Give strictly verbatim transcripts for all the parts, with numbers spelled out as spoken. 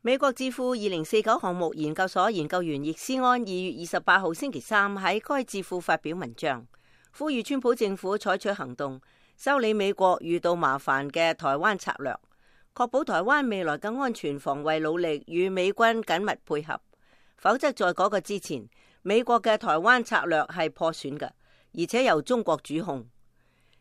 美國智庫二零四九項目研究所研究員易思安二月二十八號星期三喺該智庫發表文章，呼籲川普政府採取行動，修理美國遇到麻煩嘅台灣策略，確保台灣未來嘅安全防衛努力與美軍緊密配合。否則在嗰個之前，美國嘅台灣策略係破損嘅，而且由中國主控。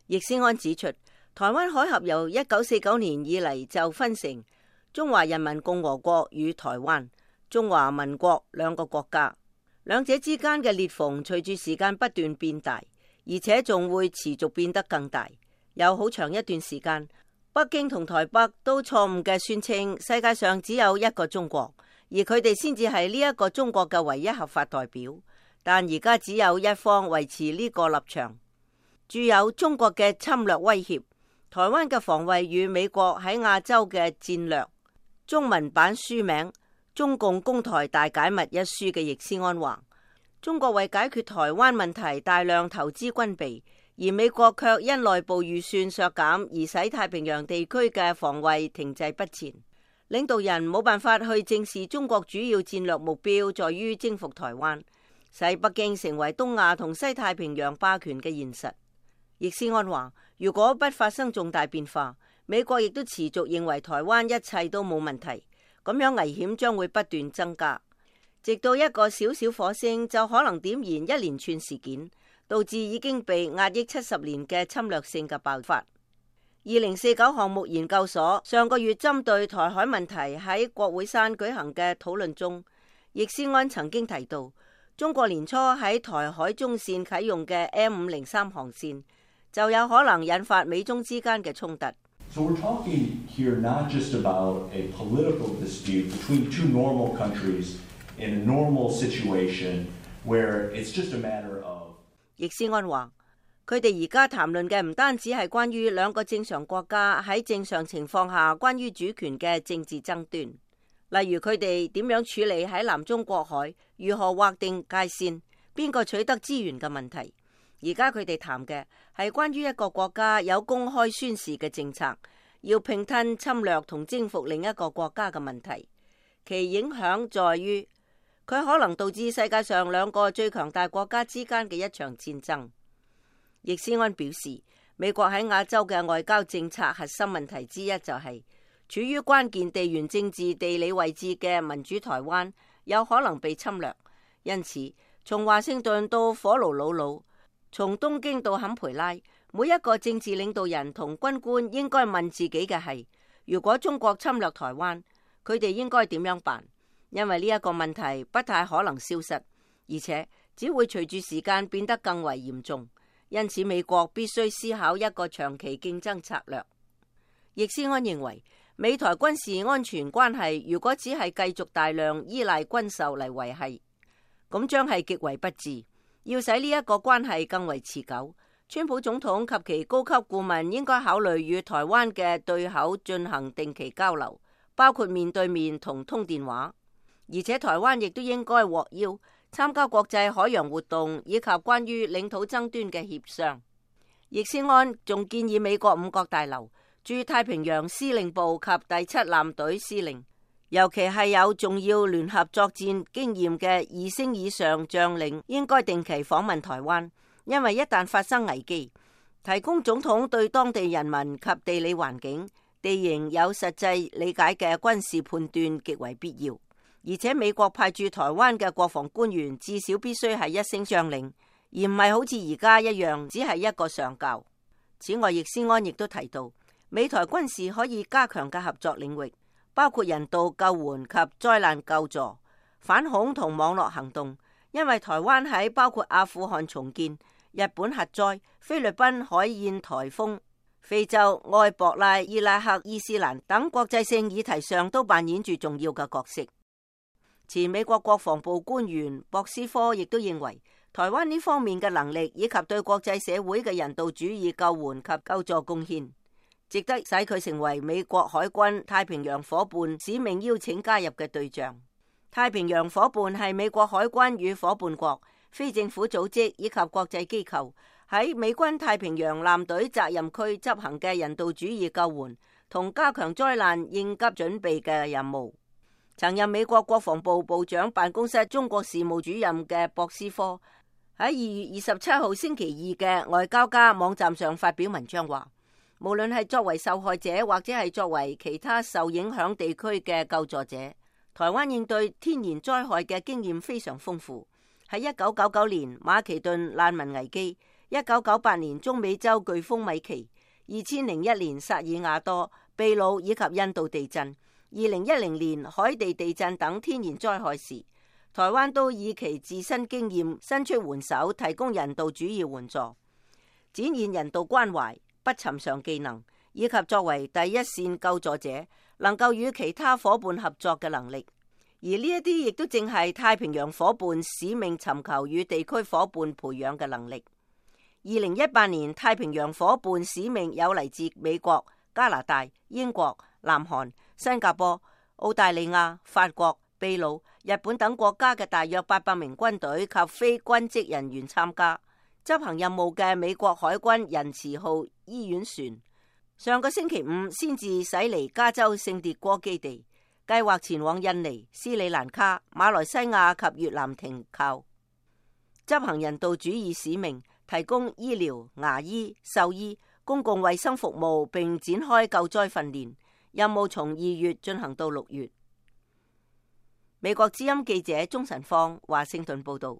易思安指出，台灣海峽由一九四九年以嚟就分成中華人民共和國與台灣、中華民國兩個國家，兩者之間嘅裂縫隨住時間不斷變大，而且仲會持續變得更大。有好長一段時間，北京同台北都錯誤嘅宣稱世界上只有一個中國，而佢哋先至係呢一個中國嘅唯一合法代表。但而家只有一方維持呢個立場，具有中國嘅侵略威脅。台灣嘅防衛與美國喺亞洲嘅戰略。中文版書名《中共攻台大解密》一書嘅易思安話，中國為解決台灣問題大量投資軍備，而美國卻因內部預算削減而使太平洋地區嘅防衛停滯不前。領導人冇辦法去正視中國主要戰略目標在於征服台灣，使北京成為東亞同西太平洋霸權嘅現實。易思安話，如果不發生重大變化，美國亦都持續認為台灣一切都冇問題，咁樣危險將會不斷增加，直到一個小小火星就可能點燃一連串事件，導致已經被壓抑七十年嘅侵略性嘅爆發。二零四九項目研究所上個月針對台海問題喺國會山舉行嘅討論中，易思安曾經提到，中國年初喺台海中線啟用嘅 M 五零三航線就有可能引發美中之間嘅衝突。So we're talking here not just about a political dispute between two normal countries in a normal situation where it's just a matter of。易思安話，佢哋而家談論嘅唔單止係關於兩個正常國家喺正常情況下關於主權嘅政治爭端，例如佢哋點樣處理喺南中國海，如何劃定界線，邊個取得資源嘅問題。而家佢哋談嘅係關於一個國家有公開宣示嘅政策，要併吞、侵略同征服另一個國家嘅問題。其影響在於佢可能導致世界上兩個最強大國家之間嘅一場戰爭。易思安表示，美國喺亞洲嘅外交政策核心問題之一就係、是、處於關鍵地緣政治地理位置嘅民主台灣有可能被侵略，因此從華盛頓到火爐魯魯，從東京到坎培拉，每一個政治領導人同軍官應該問自己嘅係：如果中國侵略台灣，佢哋應該點樣辦？因為呢一個問題不太可能消失，而且只會隨住時間變得更為嚴重。因此，美國必須思考一個長期競爭策略。易思安認為，美台軍事安全關係如果只係繼續大量依賴軍售嚟維繫，咁將係極為不智。要使呢一個關係更為持久，川普總統及其高級顧問應該考慮與台灣嘅對口進行定期交流，包括面對面同通電話。而且台灣亦都應該獲邀參加國際海洋活動以及關於領土爭端嘅協商。易思安仲建議美國五角大樓駐太平洋司令部及第七艦隊司令，尤其係有重要聯合作戰經驗嘅二星以上將領，應該定期訪問台灣，因為一旦發生危機，提供總統對當地人民及地理環境、地形有實際理解嘅軍事判斷極為必要。而且美國派駐台灣嘅國防官員至少必須係一星將領，而唔係好似而家一樣只係一個上校。此外，易思安亦都提到，美台軍事可以加強嘅合作領域，包括人道救援及災難救助、反恐同網絡行動，因為台灣喺包括阿富汗重建、日本核災、菲律賓海燕颱風、非洲埃博拉、伊拉克、伊斯蘭等國際性議題上都扮演住重要嘅角色。前美國國防部官員博斯科亦都認為，台灣呢方面嘅能力以及對國際社會嘅人道主義救援及救助貢獻，值得使佢成為美國海軍太平洋夥伴使命邀請加入嘅對象。太平洋夥伴係美國海軍與夥伴國、非政府組織以及國際機構喺美軍太平洋艦隊責任區執行嘅人道主義救援同加強災難應急準備嘅任務。曾任美國國防部部長辦公室中國事務主任嘅博斯科喺二月二十七號星期二嘅外交家網站上發表文章話，無論係作為受害者或者係作為其他受影響地區嘅救助者，台灣應對天然災害嘅經驗非常豐富。喺一九九九年馬其頓難民危機，一九九八年中美洲颶風米奇，二千零一年薩爾瓦多、秘魯以及印度地震，二零一零年海地地震等天然災害時，台灣都以其自身經驗伸出援手，提供人道主義援助，展現人道關懷、不尋常技能，以及作為第一線救助者能夠與其他夥伴合作嘅能力。而呢一啲亦都正係太平洋夥伴使命尋求與地區夥伴培養嘅能力。二零一八年太平洋夥伴使命有嚟自美國、加拿大、英國、南韓、新加坡、澳大利亞、法國、秘魯、日本等國家嘅大約八百名軍隊及非軍職人員參加。執行任務嘅美國海軍仁慈號醫院船上個星期五先至駛離加州聖迭戈基地，計劃前往印尼、斯里蘭卡、馬來西亞及越南停靠，執行人道主義使命，提供醫療、牙醫、獸醫、公共衛生服務，並展開救災訓練。任務從二月進行到六月。美國之音記者鍾晨芳華盛頓報道。